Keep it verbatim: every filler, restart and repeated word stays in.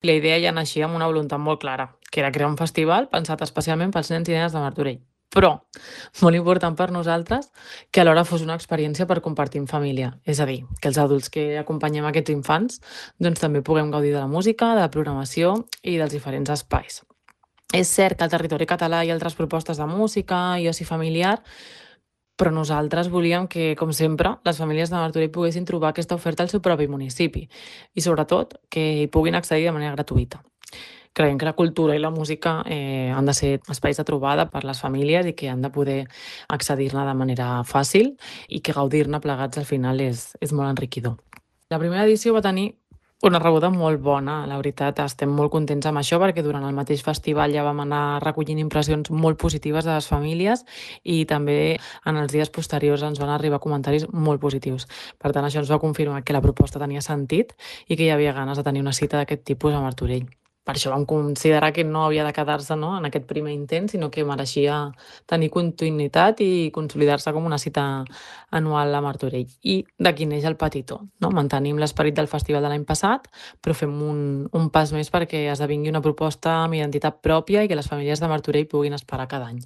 La idea ja naixia amb una voluntat molt clara, que era crear un festival pensat especialment pels nens i nenes de Martorell. Però, molt important per nosaltres, que alhora fos una experiència per compartir en família. És a dir, que els adults que acompanyem aquests infants doncs també puguem gaudir de la música, de la programació i dels diferents espais. És cert que al territori català hi ha altres propostes de música i oci familiar, però nosaltres volíem que, com sempre, les famílies de Martorell poguessin trobar aquesta oferta al seu propi municipi i, sobretot, que hi puguin accedir de manera gratuïta. Creiem que la cultura i la música eh, han de ser espais de trobada per les famílies i que han de poder accedir-ne de manera fàcil i que gaudir-ne plegats al final és, és molt enriquidor. La primera edició va tenir una rebuda molt bona, la veritat, estem molt contents amb això perquè durant el mateix festival ja vam anar recollint impressions molt positives de les famílies i també en els dies posteriors ens van arribar comentaris molt positius. Per tant, això ens va confirmar que la proposta tenia sentit i que hi havia ganes de tenir una cita d'aquest tipus a Martorell. Per això vam considerar que no havia de quedar-se no, en aquest primer intent, sinó que mereixia tenir continuïtat i consolidar-se com una cita anual a Martorell. I d'aquí neix el Petitó. No? Mantenim l'esperit del festival de l'any passat, però fem un, un pas més perquè esdevingui una proposta amb identitat pròpia i que les famílies de Martorell puguin esperar cada any.